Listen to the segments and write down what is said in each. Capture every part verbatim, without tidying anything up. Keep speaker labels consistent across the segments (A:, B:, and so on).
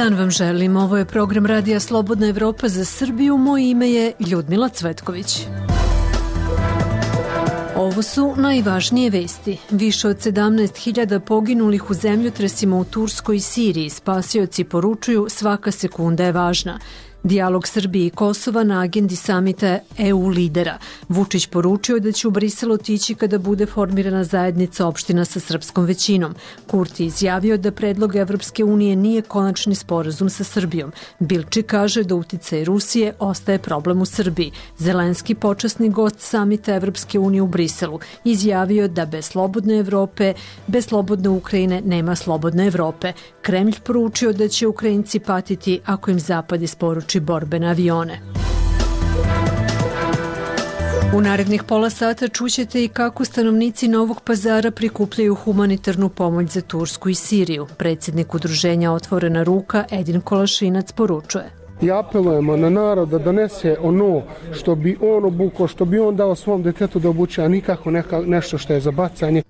A: dan vam želim. Ovo je program Radija Slobodna Evropa za Srbiju. Moje ime je Ljudmila Cvetković. Ovo su najvažnije vesti. Više od sedamnaest hiljada poginulih u zemljotresima u Turskoj i Siriji. Spasioci poručuju svaka sekunda je važna. Dijalog Srbije i Kosova na agendi samita E U lidera. Vučić poručio da će u Brisel otići kada bude formirana zajednica opština sa srpskom većinom. Kurti izjavio da predlog Evropske unije nije konačni sporazum sa Srbijom. Bilči kaže da uticaj Rusije ostaje problem u Srbiji. Zelenski, počasni gost samita Evropske unije u Briselu, izjavio da bez slobodne Evrope, bez slobodne Ukrajine nema slobodne Evrope. Kremlj poručio da će Ukrajinci patiti ako im Zapad isporuči borbene avione. U narednih pola sata čućete i kako stanovnici Novog Pazara prikupljaju humanitarnu pomoć za Tursku i Siriju. Predsjednik udruženja Otvorena ruka Edin Kolašinac poručuje.
B: I apelujemo na narod da donese ono što bi on obukao, što bi on dao svom detetu da obuče, a nikako neka, nešto što je za bacanje.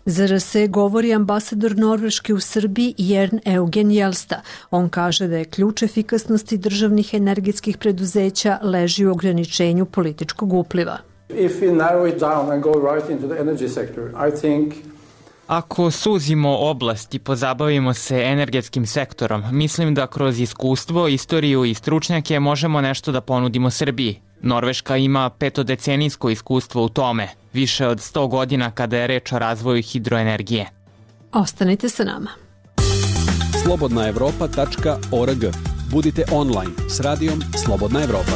A: Za R S govori ambasador Norveške u Srbiji Jern Eugen Jelsta. On kaže da je ključ efikasnosti državnih energetskih preduzeća leži u ograničenju političkog upliva.
C: If we narrow it down and go right into the energy sector, I think
D: Ako suzimo oblast i pozabavimo se energetskim sektorom, mislim da kroz iskustvo, istoriju i stručnjake možemo nešto da ponudimo Srbiji. Norveška ima petodecenijsko iskustvo u tome, više od sto godina kada je reč o razvoju hidroenergije.
A: Ostanite sa nama.
E: slobodna evropa tačka org. Budite online s radijom Slobodna Evropa.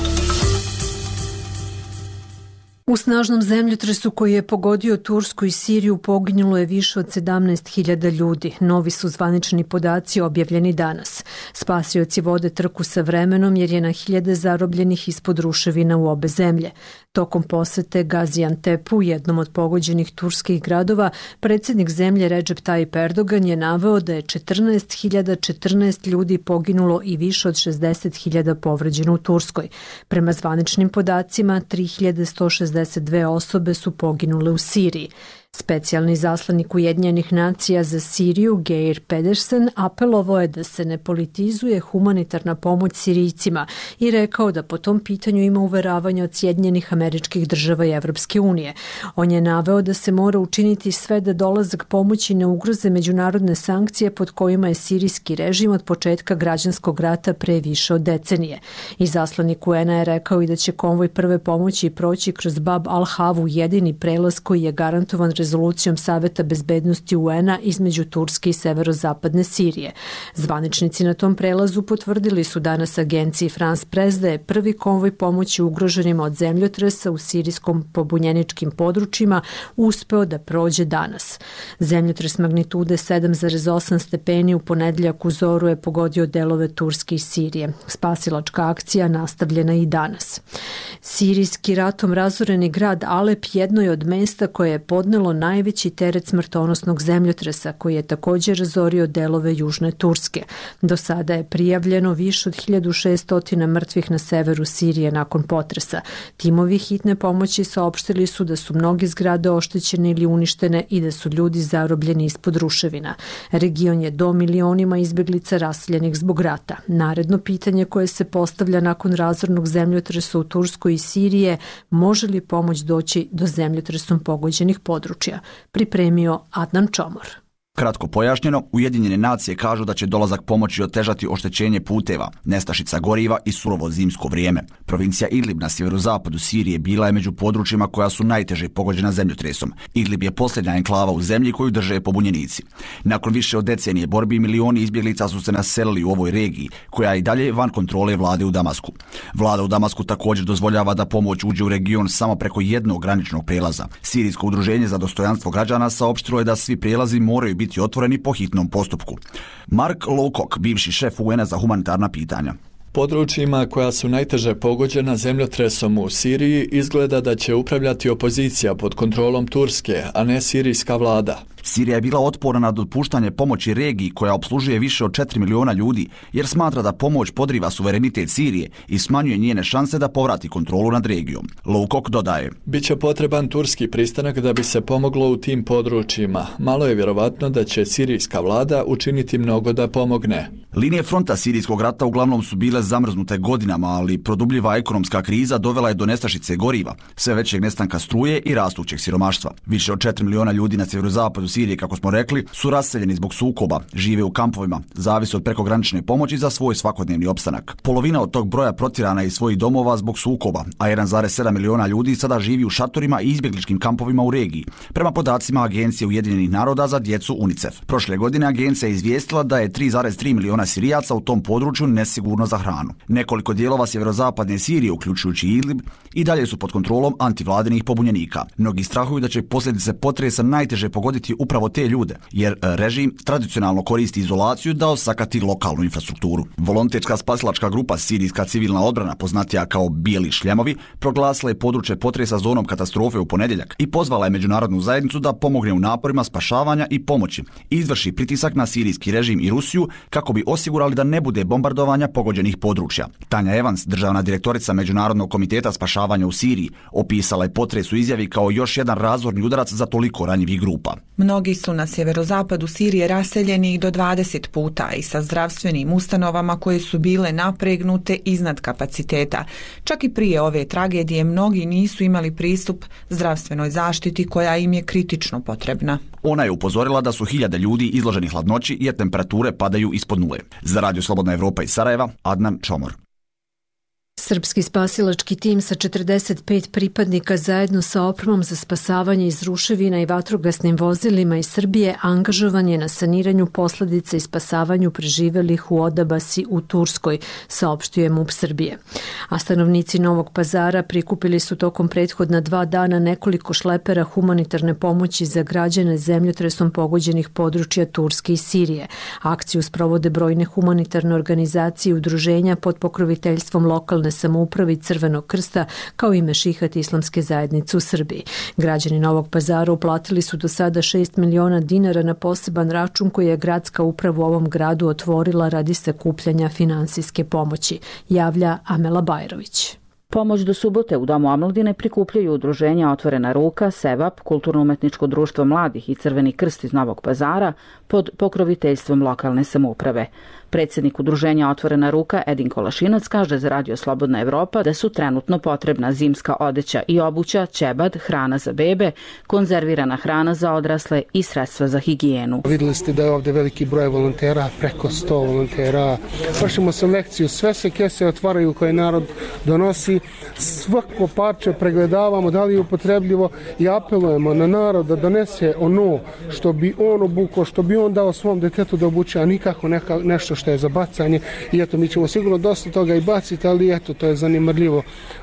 A: U snažnom zemljotresu koji je pogodio Tursku i Siriju poginulo je više od sedamnaest hiljada ljudi. Novi su zvanični podaci objavljeni danas. Spasioci vode trku sa vremenom jer je na hiljade zarobljenih ispod ruševina u obe zemlje. Tokom posete Gaziantepu, jednom od pogođenih turskih gradova, predsjednik zemlje Recep Tayyip Erdogan je naveo da je četrnaest hiljada četrnaest ljudi poginulo i više od šezdeset hiljada povređeno u Turskoj. Prema zvaničnim podacima, tri hiljade sto šezdeset dve osobe su poginule u Siriji. Specijalni zaslanik Ujedinjenih nacija za Siriju, Geir Pedersen, apelovao je da se ne politizuje humanitarna pomoć Sirijcima i rekao da po tom pitanju ima uveravanja od Sjedinjenih Američkih Država i Evropske unije. On je naveo da se mora učiniti sve da dolazak pomoći ne ugroze međunarodne sankcije pod kojima je sirijski režim od početka građanskog rata pre više od decenije. I zaslanik U N A je rekao i da će konvoj prve pomoći proći kroz Bab al-Havu, jedini prelaz koji je garantovan rezolucijom Saveta bezbednosti U N A između Turske i severozapadne Sirije. Zvaničnici na tom prelazu potvrdili su danas agenciji France Press da je prvi konvoj pomoći ugroženima od zemljotresa u sirijskom pobunjeničkim područjima uspeo da prođe danas. Zemljotres magnitude sedam zarez osam stepeni u ponedeljak u zoru je pogodio delove Turske i Sirije. Spasilačka akcija nastavljena i danas. Sirijski ratom razoreni grad Alep jedno je od mesta koje je podnelo najveći teret smrtonosnog zemljotresa koji je također razorio delove južne Turske. Do sada je prijavljeno više od hiljadu šesto mrtvih na severu Sirije nakon potresa. Timovi hitne pomoći saopštili su da su mnoge zgrade oštećene ili uništene i da su ljudi zarobljeni ispod ruševina. Region je do milionima izbeglica raseljenih zbog rata. Naredno pitanje koje se postavlja nakon razornog zemljotresa u Turskoj i Sirije, može li pomoć doći do zemljotresom pogođenih područja, pripremio Adnan Čomor.
F: Kratko pojašnjeno, Ujedinjene nacije kažu da će dolazak pomoći otežati oštećenje puteva, nestašica goriva i surovo zimsko vrijeme. Provincija Idlib na sjeverozapadu Sirije bila je među područjima koja su najteže pogođena zemljotresom. Idlib je posljednja enklava u zemlji koju drže pobunjenici. Nakon više od decenije borbi, milioni izbjeglica su se naselili u ovoj regiji, koja je i dalje van kontrole vlade u Damasku. Vlada u Damasku također dozvoljava da pomoć uđe u region samo preko jednog graničnog prelaza. Sirijsko udruženje za dostojanstvo građana saopštilo je da svi prelazi moraju biti otvoreni po hitnom postupku. Mark Lowcock, bivši šef U N A za humanitarna pitanja.
G: Područjima koja su najteže pogođena zemljotresom u Siriji izgleda da će upravljati opozicija pod kontrolom Turske, a ne sirijska vlada.
F: Sirija je bila otporna na dopuštanje pomoći regiji koja opslužuje više od četiri miliona ljudi, jer smatra da pomoć podriva suverenitet Sirije i smanjuje njene šanse da povrati kontrolu nad regijom. Loukok dodaje:
G: Biće potreban turski pristanak da bi se pomoglo u tim područjima. Malo je vjerovatno da će sirijska vlada učiniti mnogo da pomogne.
F: Linije fronta sirijskog rata uglavnom su bile zamrznute godinama, ali produbljiva ekonomska kriza dovela je do nestašice goriva, sve većeg nestanka struje i rastućeg siromaštva. Više od četiri miliona ljudi na sjeverozapadu Sirije, kako smo rekli, su raseljeni zbog sukoba, žive u kampovima, zavise od prekogranične pomoći za svoj svakodnevni opstanak. Polovina od tog broja protjerana je iz svojih domova zbog sukoba, a jedan zarez sedam miliona ljudi sada živi u šatorima i izbjegličkim kampovima u regiji, prema podacima Agencije Ujedinjenih naroda za djecu UNICEF. Prošle godine agencija je izvijestila da je tri zarez tri miliona Sirijaca u tom području nesigurno za hranu. Nekoliko dijelova sjeverozapadne Sirije, uključujući Idlib, i dalje su pod kontrolom antivladinih pobunjenika. Mnogi strahuju da će posljedice potresa najteže pogoditi upravo te ljude, jer režim tradicionalno koristi izolaciju da osakati lokalnu infrastrukturu. Volonterska spasilačka grupa Sirijska civilna odbrana, poznatija kao Bijeli šljemovi, proglasila je područje potresa zonom katastrofe u ponedjeljak i pozvala je međunarodnu zajednicu da pomogne u naporima spašavanja i pomoći i izvrši pritisak na sirijski režim i Rusiju kako bi osigurali da ne bude bombardovanja pogođenih područja. Tanja Evans, državna direktorica Međunarodnog komiteta spašavanja u Siriji, opisala je potres u izjavi kao još jedan razorni udarac za toliko ranjivih grupa.
H: Mnogi su na sjeverozapadu Sirije raseljeni do dvadeset puta i sa zdravstvenim ustanovama koje su bile napregnute iznad kapaciteta. Čak i prije ove tragedije mnogi nisu imali pristup zdravstvenoj zaštiti koja im je kritično potrebna.
F: Ona je upozorila da su hiljade ljudi izloženi hladnoći jer temperature padaju ispod nule. Za Radio Slobodna Evropa iz Sarajeva, Adnan Čomor.
A: Srpski spasilački tim sa četrdeset pet pripadnika zajedno sa opremom za spasavanje iz ruševina i vatrogasnim vozilima iz Srbije angažovan je na saniranju posljedica i spasavanju preživelih u Odabasi u Turskoj, saopštuje MUP Srbije. A stanovnici Novog Pazara prikupili su tokom prethodna dva dana nekoliko šlepera humanitarne pomoći za građane zemljotresom pogođenih područja Turske i Sirije. Akciju sprovode brojne humanitarne organizacije i udruženja pod pokroviteljstvom lokalne samoupravi Crvenog krsta kao i Mešihat islamske zajednice u Srbiji. Građani Novog Pazara uplatili su do sada šest miliona dinara na poseban račun koji je gradska uprava u ovom gradu otvorila radi sakupljanja finansijske pomoći, javlja Amela Bajrović.
I: Pomoć do subote u Domu omladine prikupljaju udruženja Otvorena ruka, Sevap, Kulturno-umetničko društvo mladih i Crveni krst iz Novog Pazara pod pokroviteljstvom lokalne samouprave. Predsjednik udruženja Otvorena ruka Edin Kolašinac kaže za Radio Slobodna Evropa da su trenutno potrebna zimska odeća i obuća, ćebad, hrana za bebe, konzervirana hrana za odrasle i sredstva za higijenu.
B: Vidjeli ste da je ovdje veliki broj volontera, preko sto volontera. Vršimo selekciju, sve se kese otvaraju koje narod donosi, svako parče pregledavamo da li je upotrebljivo i apelujemo na narod da donese ono što bi on obukao, što bi on dao svom detetu da obuče, a nikako neka, nešto što je za bacanje. I eto, mi ćemo sigurno dosta toga i baciti, ali eto, to je zanimljivo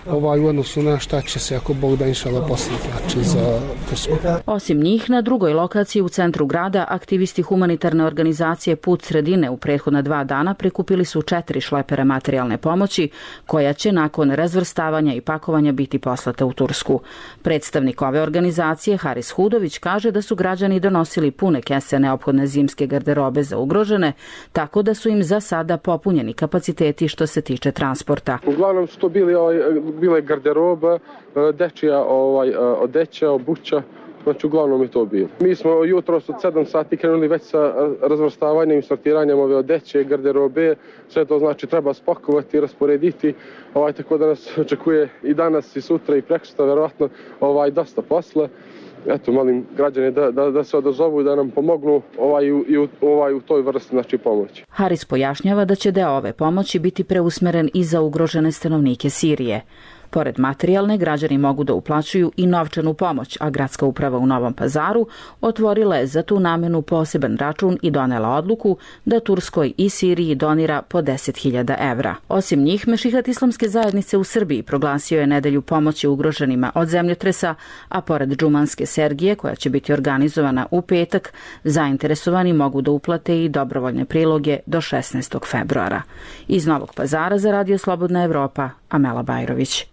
B: ovaj, u odnosu na šta će se, ako Bog da inšala poslije plaće za Tursku.
I: Osim njih, na drugoj lokaciji u centru grada, aktivisti humanitarne organizacije Put sredine u prethodna dva dana prikupili su četiri šlepera materijalne pomoći, koja će nakon razvrstavanja i pakovanja biti poslata u Tursku. Predstavnik ove organizacije, Haris Hudović, kaže da su građani donosili pune kese neophodne zimske garderobe za ugrožene, tako da su im za sada popunjeni kapaciteti što se tiče transporta.
J: Uglavnom su to bili, ovaj, bile garderoba, dečija ovaj, odeća, obuća, znači uglavnom je to bilo. Mi smo jutros od sedam sati krenuli već sa razvrstavanjem i sortiranjem ove odeće, garderobe, sve to znači treba spakovati, rasporediti, ovaj, tako da nas očekuje i danas i sutra i prekosutra verovatno ovaj, dosta posla. Eto, molim građane da, da, da se odazovu i da nam pomognu ovaj, u, ovaj, u toj vrsti znači, pomoći.
I: Haris pojašnjava da će deo ove pomoći biti preusmeren i za ugrožene stanovnike Sirije. Pored materijalne, građani mogu da uplaćuju i novčanu pomoć, a gradska uprava u Novom Pazaru otvorila je za tu namenu poseban račun i donela odluku da Turskoj i Siriji donira po deset hiljada evra. Osim njih, Mešihat islamske zajednice u Srbiji proglasio je nedelju pomoći ugroženima od zemljotresa, a pored džumanske sergije, koja će biti organizovana u petak, zainteresovani mogu da uplate i dobrovoljne priloge do šesnaestog februara. Iz Novog Pazara za Radio Slobodna Evropa, Amela Bajrović.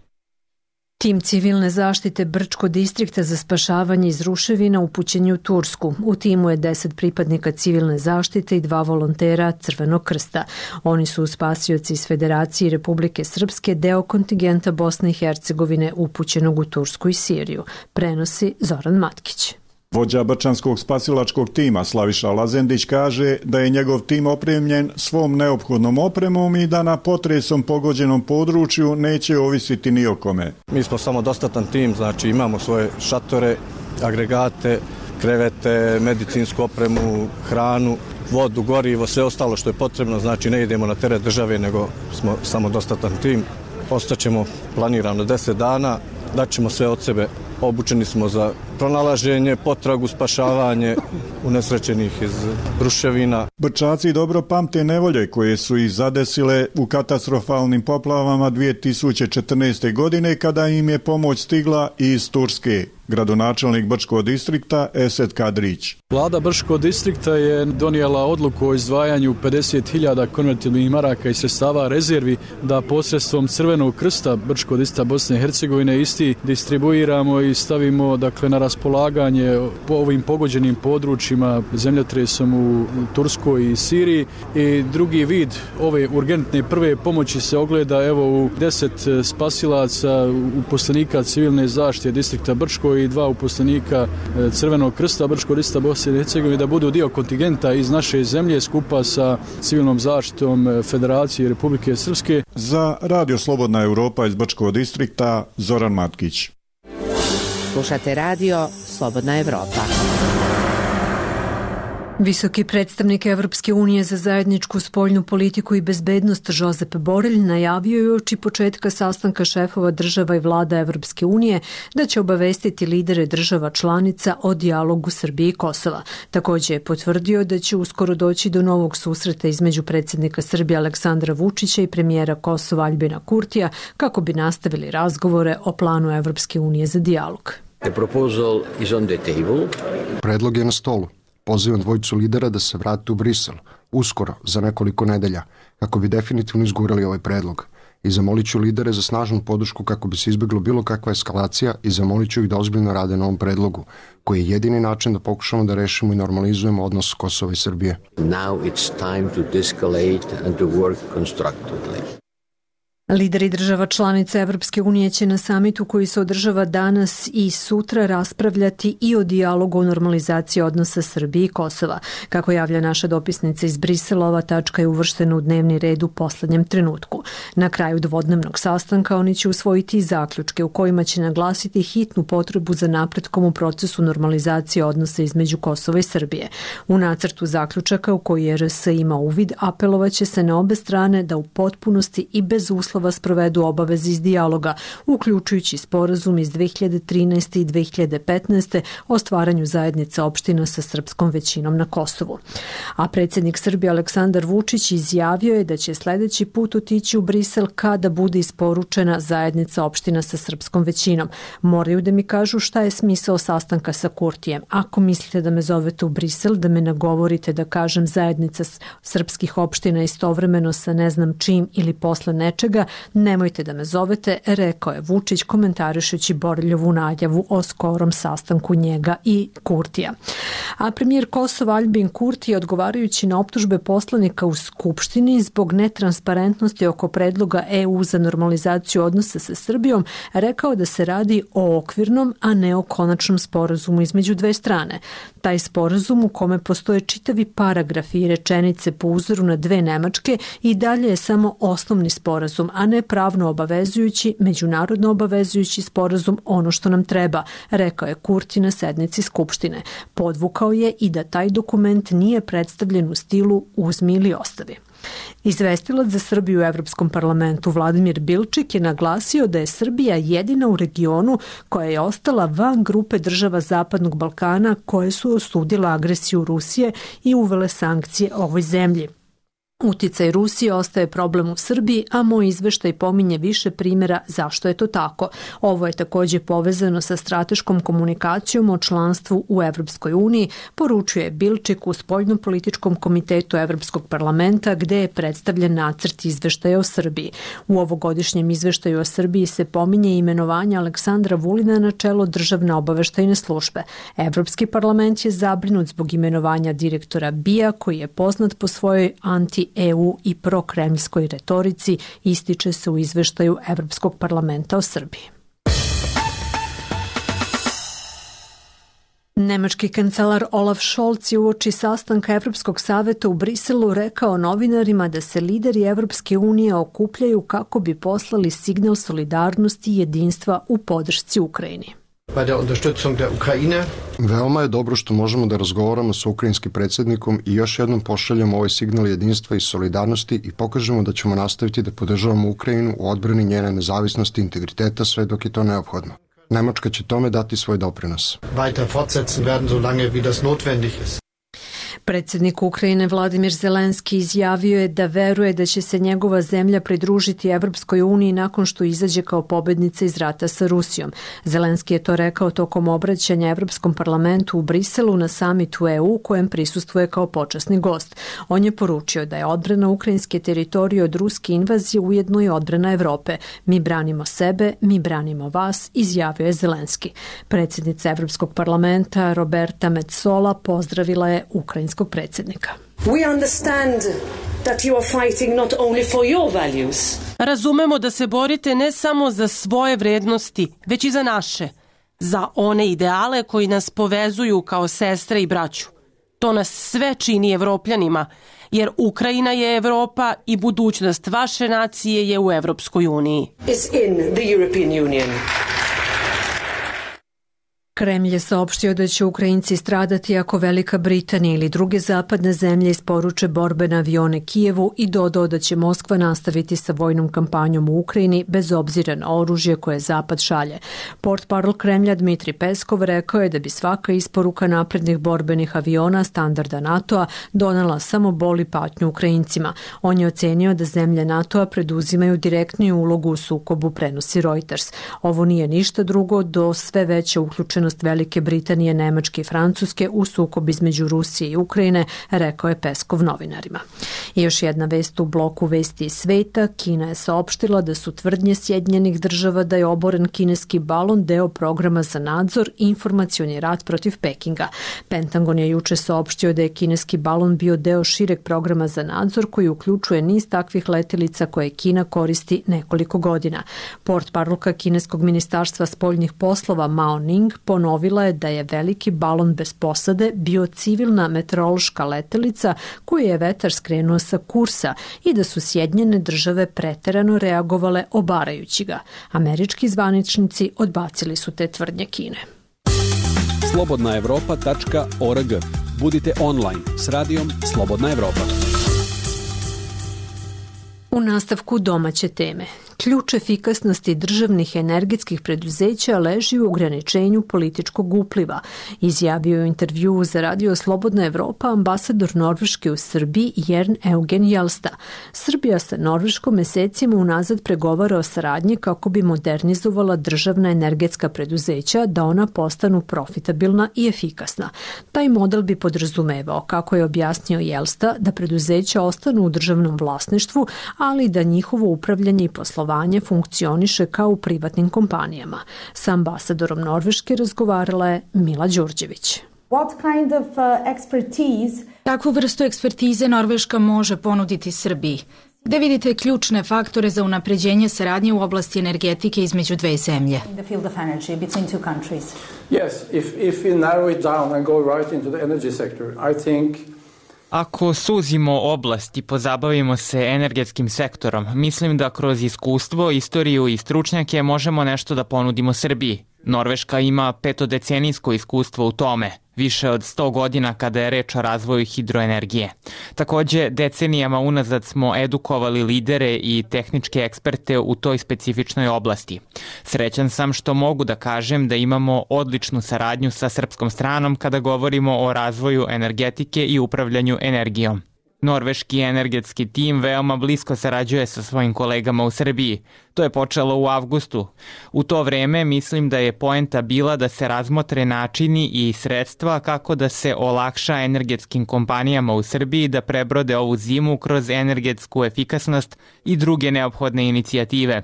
A: Tim civilne zaštite Brčko distrikta za spašavanje iz ruševina upućen je u Tursku. U timu je deset pripadnika civilne zaštite i dva volontera Crvenog krsta. Oni su spasioci iz Federacije Republike Srpske, deo kontingenta Bosne i Hercegovine upućenog u Tursku i Siriju. Prenosi Zoran Matkić.
K: Vođa brčanskog spasilačkog tima Slaviša Lazendić kaže da je njegov tim opremljen svom neophodnom opremom i da na potresom pogođenom području neće ovisiti ni o kome.
L: Mi smo samodostatan tim, znači imamo svoje šatore, agregate, krevete, medicinsku opremu, hranu, vodu, gorivo, sve ostalo što je potrebno, znači ne idemo na teret države, nego smo samodostatan tim. Ostaćemo planirano deset dana, daćemo sve od sebe. Obučeni smo za pronalaženje, potragu, spašavanje unesrećenih iz ruševina.
K: Brčaci dobro pamte nevolje koje su ih zadesile u katastrofalnim poplavama dvije tisuće četrnaeste. godine kada im je pomoć stigla iz Turske. Gradonačelnik Brčkog distrikta Esed Kadrić.
M: Vlada Brčkog distrikta je donijela odluku o izdvajanju pedeset hiljada konvertibilnih maraka i sredstava rezervi da posredstvom Crvenog krsta Brčkog distrikta Bosne i Hercegovine isti distribuiramo i stavimo dakle na raspolaganje po ovim pogođenim područjima zemljotresom u Turskoj i Siriji. I drugi vid ove urgentne prve pomoći se ogleda evo u deset spasilaca, uposlenika civilne zaštite distrikta Brčko i dva uposlenika Crvenog krsta Brčkog distrikta Bosne i Hercegovine da budu dio kontingenta iz naše zemlje skupa sa civilnom zaštitom Federacije Republike Srpske.
K: Za Radio Slobodna Europa iz Brčkog distrikta Zoran Matkić.
N: Slušate radio Slobodna Evropa.
A: Visoki predstavnik Evropske unije za zajedničku spoljnu politiku i bezbednost Josep Borrell najavio je uoči početka sastanka šefova država i vlada Evropske unije da će obavestiti lidere država članica o dijalogu Srbije i Kosova. Također je potvrdio da će uskoro doći do novog susreta između predsjednika Srbije Aleksandra Vučića i premijera Kosova Aljbina Kurtija kako bi nastavili razgovore o planu Evropske unije za dijalog.
O: The proposal is on the table.
P: Predlog je na stolu. Pozivam dvojicu lidera da se vrate u Brisel, uskoro, za nekoliko nedelja, kako bi definitivno izgurali ovaj predlog. I zamolit ću lidere za snažnu podršku kako bi se izbjeglo bilo kakva eskalacija i zamolit ću ih da ozbiljno rade na ovom predlogu, koji je jedini način da pokušamo da rešimo i normalizujemo odnos Kosova i Srbije.
O: Now it's time to de-escalate and to work constructively.
A: Lideri država članica Evropske unije će na samitu koji se održava danas i sutra raspravljati i o dijalogu o normalizaciji odnosa Srbije i Kosova. Kako javlja naša dopisnica iz Brisela, ova tačka je uvrštena u dnevni red u poslednjem trenutku. Na kraju dvodnevnog sastanka oni će usvojiti zaključke u kojima će naglasiti hitnu potrebu za napretkom u procesu normalizacije odnosa između Kosova i Srbije. U nacrtu zaključaka u koji R S ima uvid apelovaće se na obe strane da u potpunosti i bez uslova sprovedu obaveze iz dijaloga, uključujući sporazum iz dve hiljade trinaeste i dve hiljade petnaeste o stvaranju zajednice opština sa srpskom većinom na Kosovu. A predsjednik Srbije Aleksandar Vučić izjavio je da će sljedeći put otići u Brisel kada bude isporučena zajednica opština sa srpskom većinom. Moraju da mi kažu šta je smisao sastanka sa Kurtijem. Ako mislite da me zovete u Brisel, da me nagovorite da kažem zajednica srpskih opština istovremeno sa ne znam čim ili posle nečega, nemojte da me zovete, rekao je Vučić komentarišući Borrellovu najavu o skorom sastanku njega i Kurtija. A premijer Kosova Aljbin Kurti, odgovarajući na optužbe poslanika u Skupštini zbog netransparentnosti oko predloga E U za normalizaciju odnosa sa Srbijom, rekao da se radi o okvirnom, a ne o konačnom sporazumu između dve strane. Taj sporazum u kome postoje čitavi paragrafi i rečenice po uzoru na dve Nemačke i dalje je samo osnovni sporazum, a ne pravno obavezujući, međunarodno obavezujući sporazum ono što nam treba, rekao je Kurti na sednici Skupštine. Podvukao je i da taj dokument nije predstavljen u stilu uzmi ili ostavi. Izvestilac za Srbiju u Evropskom parlamentu Vladimir Bilčik je naglasio da je Srbija jedina u regionu koja je ostala van grupe država Zapadnog Balkana koje su osudile agresiju Rusije i uvele sankcije ovoj zemlji. Uticaj Rusije ostaje problem u Srbiji, a moj izveštaj pominje više primjera zašto je to tako. Ovo je također povezano sa strateškom komunikacijom o članstvu u Evropskoj uniji, poručuje Bilčik u spoljnopolitičkom komitetu Evropskog parlamenta gdje je predstavljen nacrt izveštaja o Srbiji. U ovogodišnjem izveštaju o Srbiji se pominje imenovanje Aleksandra Vulina na čelo državne obaveštajne službe. Evropski parlament je zabrinut zbog imenovanja direktora B I A koji je poznat po svojoj anti-E U i prokremljskoj retorici, ističe se u izveštaju Evropskog parlamenta o Srbiji. Nemački kancelar Olaf Scholz je uoči sastanka Evropskog saveta u Briselu rekao novinarima da se lideri Evropske unije okupljaju kako bi poslali signal solidarnosti i jedinstva u podršci Ukrajini.
P: Veoma je dobro što možemo da razgovaramo sa ukrajinskim predsjednikom i još jednom pošaljemo ovaj signal jedinstva i solidarnosti i pokažemo da ćemo nastaviti da podržavamo Ukrajinu u odbrani njene nezavisnosti i integriteta sve dok je to neophodno. Nemačka će tome dati svoj doprinos.
A: Predsjednik Ukrajine Vladimir Zelenski izjavio je da veruje da će se njegova zemlja pridružiti Evropskoj uniji nakon što izađe kao pobednica iz rata sa Rusijom. Zelenski je to rekao tokom obraćanja Evropskom parlamentu u Briselu na samitu E U kojem prisustvuje kao počasni gost. On je poručio da je odbrana ukrajinske teritorije od ruske invazije ujedno i odbrana Evrope. Mi branimo sebe, mi branimo vas, izjavio je Zelenski. Predsjednica Evropskog parlamenta Roberta Metsola pozdravila je ukrajinskog predsjednika.
Q: We understand that you are fighting not only for your values.
R: Razumemo da se borite ne samo za svoje vrednosti, već i za naše, za one ideale koji nas povezuju kao sestre i braću. To nas sve čini Evropljanima, jer Ukrajina je Evropa i budućnost vaše nacije je u Evropskoj uniji.
Q: Is in the European Union.
A: Kremlj je saopštio da će Ukrajinci stradati ako Velika Britanija ili druge zapadne zemlje isporuče borbene avione Kijevu i dodao da će Moskva nastaviti sa vojnom kampanjom u Ukrajini bez obzira na oružje koje Zapad šalje. Portparol Kremlja Dmitri Peskov rekao je da bi svaka isporuka naprednih borbenih aviona standarda NATO-a donela samo bol i patnju Ukrajincima. On je ocenio da zemlje NATO-a preduzimaju direktniju ulogu u sukobu, prenosi Reuters. Ovo nije ništa drugo do sve veće uključenosti Velike Britanije, Nemačke i Francuske u sukob između Rusije i Ukrajine, rekao je Peskov novinarima. I još jedna vest u bloku vesti iz sveta. Kina je saopštila da su tvrdnje Sjedinjenih država da je oboren kineski balon deo programa za nadzor i informacioni rat protiv Pekinga. Pentagon je juče saopštio da je kineski balon bio deo šireg programa za nadzor koji uključuje niz takvih letelica koje Kina koristi nekoliko godina. Portparolka kineskog ministarstva spoljnih poslova Mao Ning ponovila je da je veliki balon bez posade bio civilna meteorološka letelica koju je vetar skrenuo sa kursa i da su Sjedinjene države preterano reagovale obarajući ga. Američki zvaničnici odbacili su te tvrdnje Kine.
E: slobodna evropa tačka org. Budite online s radijom Slobodna Evropa.
A: U nastavku domaće teme. Ključ efikasnosti državnih energetskih preduzeća leži u ograničenju političkog upliva, izjavio je u intervjuu za radio Slobodna Evropa ambasador Norveške u Srbiji Jern Eugen Jelsta. Srbija sa Norveškom mesecima unazad pregovara o saradnji kako bi modernizovala državna energetska preduzeća da ona postanu profitabilna i efikasna. Taj model bi podrazumevao, kako je objasnio Jelsta, da preduzeća ostanu u državnom vlasništvu, ali da njihovo upravljanje i poslovanje funkcioniše kao u privatnim kompanijama. Sa ambasadorom Norveške razgovarala je Mila Đurđević.
S: What kind of uh, expertise? Kakvu vrstu ekspertize Norveška može ponuditi Srbiji? Gde vidite ključne faktore za unapređenje saradnje u oblasti energetike između dve zemlje?
C: In the field of energy between two countries. Yes, if if we narrow it down and go right into the energy sector, I think
D: Ako suzimo oblast i pozabavimo se energetskim sektorom, mislim da kroz iskustvo, istoriju i stručnjake možemo nešto da ponudimo Srbiji. Norveška ima petodecenijsko iskustvo u tome, više od sto godina kada je reč o razvoju hidroenergije. Takođe, decenijama unazad smo edukovali lidere i tehničke eksperte u toj specifičnoj oblasti. Srećan sam što mogu da kažem da imamo odličnu saradnju sa srpskom stranom kada govorimo o razvoju energetike i upravljanju energijom. Norveški energetski tim veoma blisko sarađuje sa svojim kolegama u Srbiji. To je počelo u avgustu. U to vreme mislim da je poenta bila da se razmotre načini i sredstva kako da se olakša energetskim kompanijama u Srbiji da prebrode ovu zimu kroz energetsku efikasnost i druge neophodne inicijative.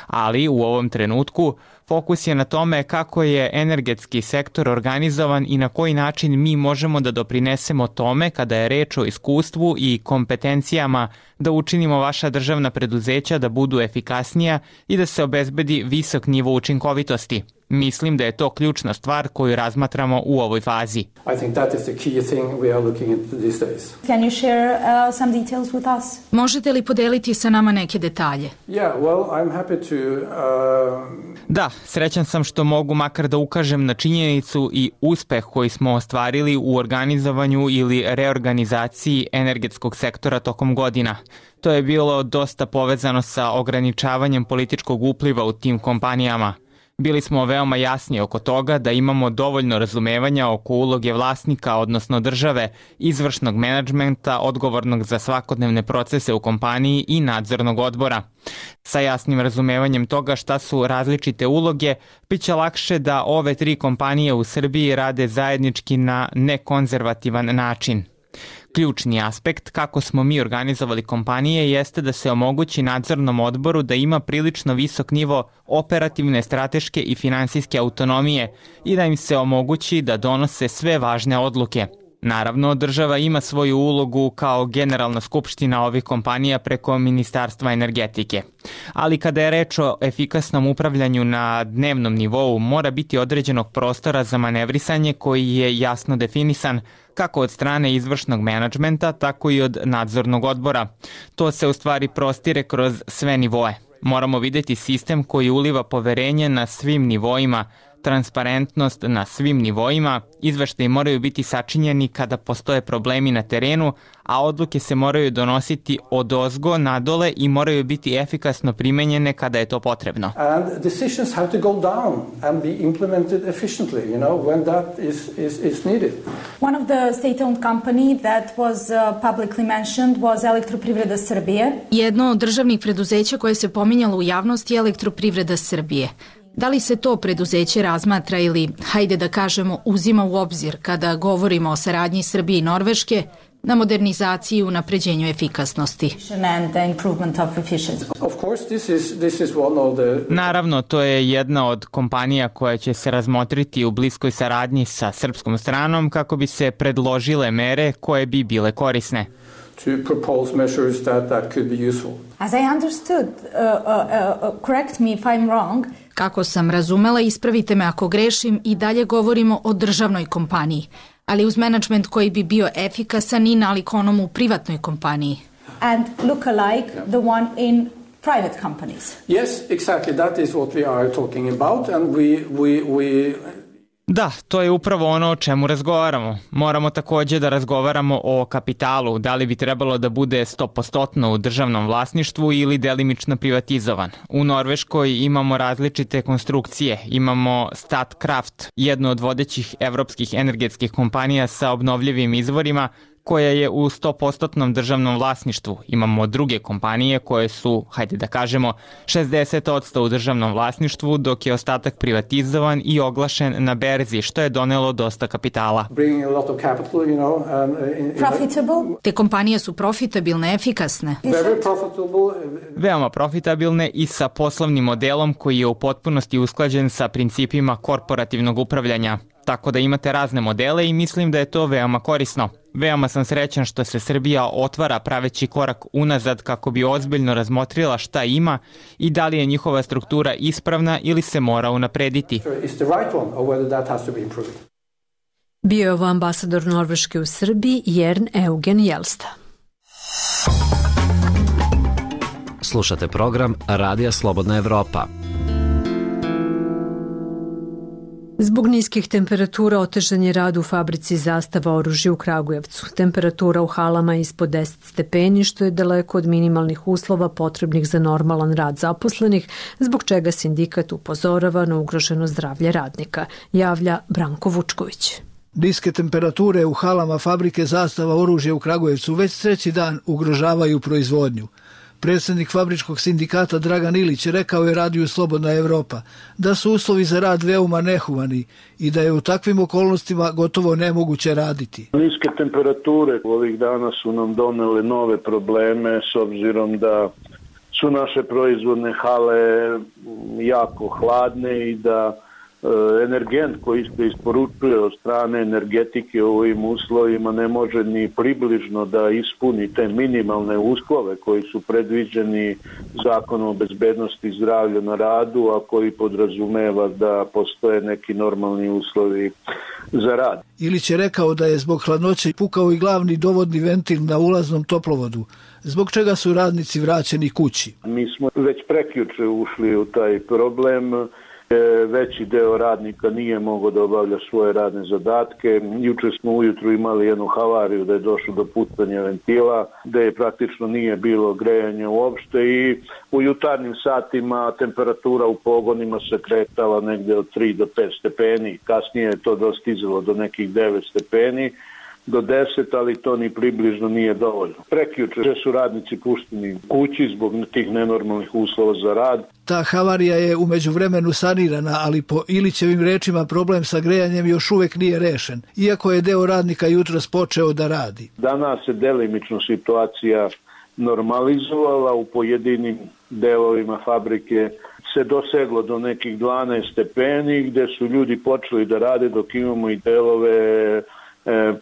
D: Ali u ovom trenutku fokus je na tome kako je energetski sektor organizovan i na koji način mi možemo da doprinesemo tome kada je reč o iskustvu i kompetencijama da učinimo vaša državna preduzeća da budu efikasnija i da se obezbedi visok nivo učinkovitosti. Mislim da je to ključna stvar koju razmatramo u ovoj fazi.
C: I think that is the key thing we are looking into these days.
S: Can you share uh, some details with us? Možete li podeliti sa nama neke detalje?
C: Yeah, well, I'm happy to uh...
D: Da, srećan sam što mogu makar da ukažem na činjenicu i uspeh koji smo ostvarili u organizovanju ili reorganizaciji energetskog sektora tokom godina. To je bilo dosta povezano sa ograničavanjem političkog upliva u tim kompanijama. Bili smo veoma jasni oko toga da imamo dovoljno razumevanja oko uloge vlasnika, odnosno države, izvršnog menadžmenta, odgovornog za svakodnevne procese u kompaniji i nadzornog odbora. Sa jasnim razumevanjem toga šta su različite uloge, bit će lakše da ove tri kompanije u Srbiji rade zajednički na nekonzervativan način. Ključni aspekt kako smo mi organizovali kompanije jeste da se omogući nadzornom odboru da ima prilično visok nivo operativne, strateške i finansijske autonomije i da im se omogući da donose sve važne odluke. Naravno, država ima svoju ulogu kao generalna skupština ovih kompanija preko Ministarstva energetike. Ali kada je reč o efikasnom upravljanju na dnevnom nivou, mora biti određenog prostora za manevrisanje koji je jasno definisan kako od strane izvršnog menadžmenta, tako i od nadzornog odbora. To se u stvari prostire kroz sve nivoe. Moramo videti sistem koji uliva poverenje na svim nivoima, transparentnost na svim nivoima, izveštaji moraju biti sačinjeni kada postoje problemi na terenu, a odluke se moraju donositi odozgo nadole i moraju biti efikasno primenjene kada je to potrebno.
C: And decisions have to go down and be implemented efficiently, you know, when that is, is, is needed.
S: One of the state-owned company that was uh, publicly mentioned was Elektroprivreda Srbije. Jedno od državnih preduzeća koje se pominjalo u javnosti je Elektroprivreda Srbije. Da li se to preduzeće razmatra ili, hajde da kažemo, uzima u obzir kada govorimo o saradnji Srbije i Norveške na modernizaciji i unapređenju efikasnosti?
D: Naravno, to je jedna od kompanija koja će se razmotriti u bliskoj saradnji sa srpskom stranom kako bi se predložile mere koje bi bile korisne.
C: To propose measures that, that could be useful.
S: As I understood, uh, uh, uh, correct me if I'm wrong. Kako sam razumela, ispravite me ako grešim, i dalje govorimo o državnoj kompaniji, ali uz menadžment koji bi bio efikasan i nalik onom u privatnoj kompaniji. And look alike the one in private companies.
C: Yes, exactly. That is what we are talking about, and we we we
D: Da, to je upravo ono o čemu razgovaramo. Moramo takođe da razgovaramo o kapitalu, da li bi trebalo da bude sto posto u državnom vlasništvu ili delimično privatizovan. U Norveškoj imamo različite konstrukcije. Imamo Statkraft, jednu od vodećih evropskih energetskih kompanija sa obnovljivim izvorima, koja je u sto posto državnom vlasništvu. Imamo druge kompanije koje su, hajde da kažemo, šezdeset posto u državnom vlasništvu, dok je ostatak privatizovan i oglašen na berzi, što je donelo dosta kapitala.
S: Profitable? Te kompanije su profitabilne, efikasne.
D: Veoma profitabilne i sa poslovnim modelom koji je u potpunosti usklađen sa principima korporativnog upravljanja. Tako da imate razne modele i mislim da je to veoma korisno. Veoma sam srećan što se Srbija otvara praveći korak unazad kako bi ozbiljno razmotrila šta ima i da li je njihova struktura ispravna ili se mora unaprediti.
A: Bio je ovo ambasador Norveške u Srbiji, Jern Eugen Jelsta.
T: Slušate program Radija Slobodna Evropa.
A: Zbog niskih temperatura otežan je rad u fabrici Zastava oružja u Kragujevcu. Temperatura u halama je ispod deset stepeni, što je daleko od minimalnih uslova potrebnih za normalan rad zaposlenih, zbog čega sindikat upozorava na ugroženo zdravlje radnika, javlja Branko Vučković.
U: Niske temperature u halama fabrike Zastava oružja u Kragujevcu već treći dan ugrožavaju proizvodnju. Predsjednik fabričkog sindikata Dragan Ilić rekao je radiju Slobodna Evropa da su uslovi za rad veoma nehumani i da je u takvim okolnostima gotovo nemoguće raditi.
V: Niske temperature ovih dana su nam donele nove probleme s obzirom da su naše proizvodne hale jako hladne i da energent koji se isporučuje od strane energetike u ovim uslovima ne može ni približno da ispuni te minimalne uslove koji su predviđeni Zakonom o bezbednosti i zdravlju na radu, a koji podrazumeva da postoje neki normalni uslovi za rad.
U: Ilić je rekao da je zbog hladnoće pukao i glavni dovodni ventil na ulaznom toplovodu, zbog čega su radnici vraćeni kući.
V: Mi smo već prekjuče ušli u taj problem. Veći deo radnika nije mogao da obavlja svoje radne zadatke. Juče smo ujutru imali jednu havariju da je došlo do pucanja ventila, da je praktično nije bilo grejanja uopšte i u jutarnjim satima temperatura u pogonima se kretala negde od tri do pet stepeni. Kasnije je to dostizalo do nekih devet stepeni. Do deset, ali to ni približno nije dovoljno. Prekjuče su radnici pušteni kući zbog tih nenormalnih uslova za rad.
U: Ta havarija je u međuvremenu sanirana, ali po Ilićevim rečima problem sa grejanjem još uvek nije rešen, iako je deo radnika jutros počeo da radi.
V: Danas se delimično situacija normalizovala, u pojedinim delovima fabrike se doseglo do nekih dvanaest stepeni gde su ljudi počeli da rade, dok imamo i delove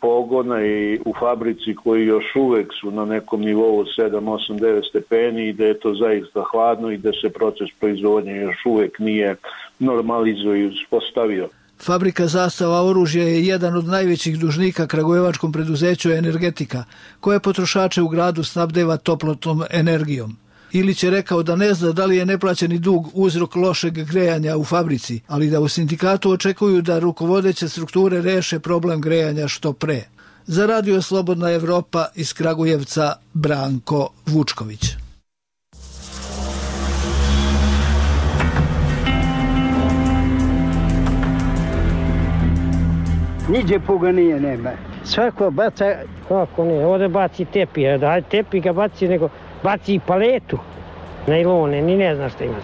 V: pogona i u fabrici koji još uvek su na nekom nivou sedam, osam, devet stepeni i da je to zaista hladno i da se proces proizvodnje još uvek nije normalizovao i uspostavio.
U: Fabrika Zastava oružja je jedan od najvećih dužnika kragujevačkom preduzeću Energetika, koje potrošače u gradu snabdeva toplotnom energijom. Ilić je rekao da ne zna da li je neplaćeni dug uzrok lošeg grejanja u fabrici, ali da u sindikatu očekuju da rukovodeće strukture reše problem grejanja što pre. Za radio Slobodna Evropa iz Kragujevca, Branko Vučković.
W: Niđe puga nije, nema. Svako baca... Kako ne, ovdje baci tepi, da tepi ga baci, nego baci i paletu, najlone, ni ne znaš šta ima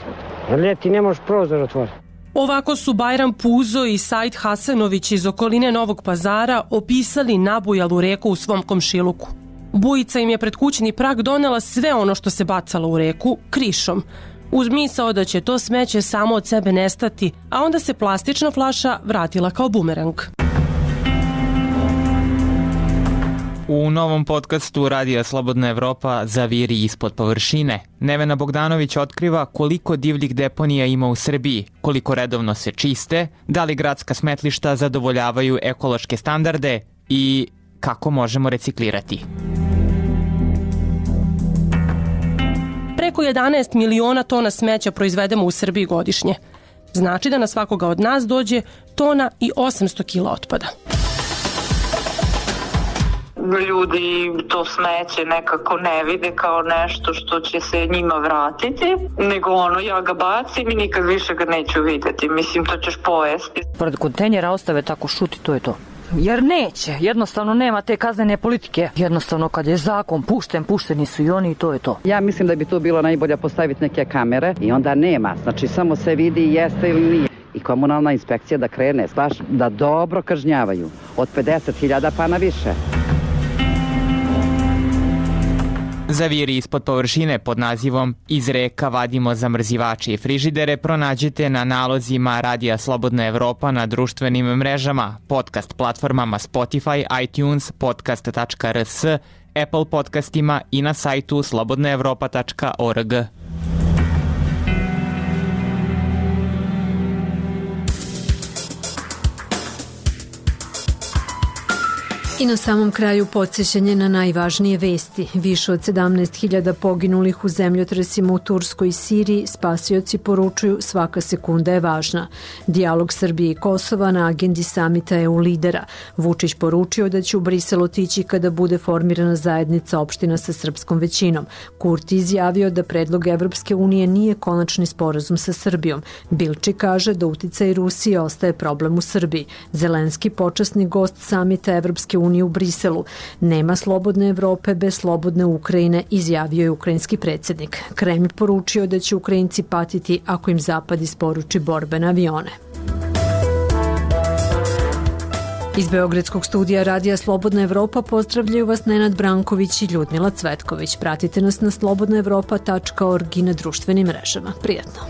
W: sad. Ljeti ne možeš prozor otvoriti.
R: Ovako su Bajram Puzo i Said Hasanović iz okoline Novog Pazara opisali nabujalu reku u svom komšiluku. Bujica im je pred kućni prag donela sve ono što se bacalo u reku krišom, uz misao da će to smeće samo od sebe nestati, a onda se plastična flaša vratila kao bumerang.
D: U novom podcastu Radija Slobodna Evropa Zaviri ispod površine, Nevena Bogdanović otkriva koliko divljih deponija ima u Srbiji, koliko redovno se čiste, da li gradska smetlišta zadovoljavaju ekološke standarde i kako možemo reciklirati.
R: Preko jedanaest miliona tona smeća proizvedemo u Srbiji godišnje. Znači da na svakoga od nas dođe tona i osamsto kila otpada.
X: Ljudi to smeće nekako ne vide kao nešto što će se njima vratiti, nego ono, ja ga bacim i nikad više ga neću vidjeti. Mislim, to ćeš pojesti.
Y: Pored kontejnera ostave tako šuti, to je to. Jer neće, jednostavno nema te kaznene politike. Jednostavno kad je zakon pušten, pušteni su i oni i to je to.
Z: Ja mislim da bi to bilo najbolje postaviti neke kamere i onda nema, znači samo se vidi jeste ili nije. I komunalna inspekcija da krene, baš da dobro kažnjavaju, od pedeset hiljada pa na više.
D: Zaviri ispod površine pod nazivom Iz reka vadimo zamrzivače i frižidere pronađete na nalozima Radija Slobodna Evropa na društvenim mrežama, podcast platformama Spotify, iTunes, podcast tačka r s, Apple podcastima i na sajtu slobodna evropa tačka org.
A: I na samom kraju podsjećanje na najvažnije vesti. Više od sedamnaest hiljada poginulih u zemljotresima u Turskoj i Siriji, spasioci poručuju svaka sekunda je važna. Dijalog Srbije i Kosova na agendi samita E U lidera. Vučić poručio da će u Brisel otići kada bude formirana zajednica opština sa srpskom većinom. Kurti izjavio da predlog Evropske unije nije konačni sporazum sa Srbijom. Bilči kaže da uticaj Rusije ostaje problem u Srbiji. Zelenski, počasni gost samita Evropske unije u Briselu. Nema slobodne Evrope bez slobodne Ukrajine, izjavio je ukrajinski predsjednik. Kreml poručio da će Ukrajinci patiti ako im Zapad isporuči borbene avione. Iz Beogradskog studija Radija Slobodna Evropa pozdravljaju vas Nenad Branković i Ljudmila Cvetković. Pratite nas na slobodna evropa tačka org i na društvenim mrežama. Prijatno!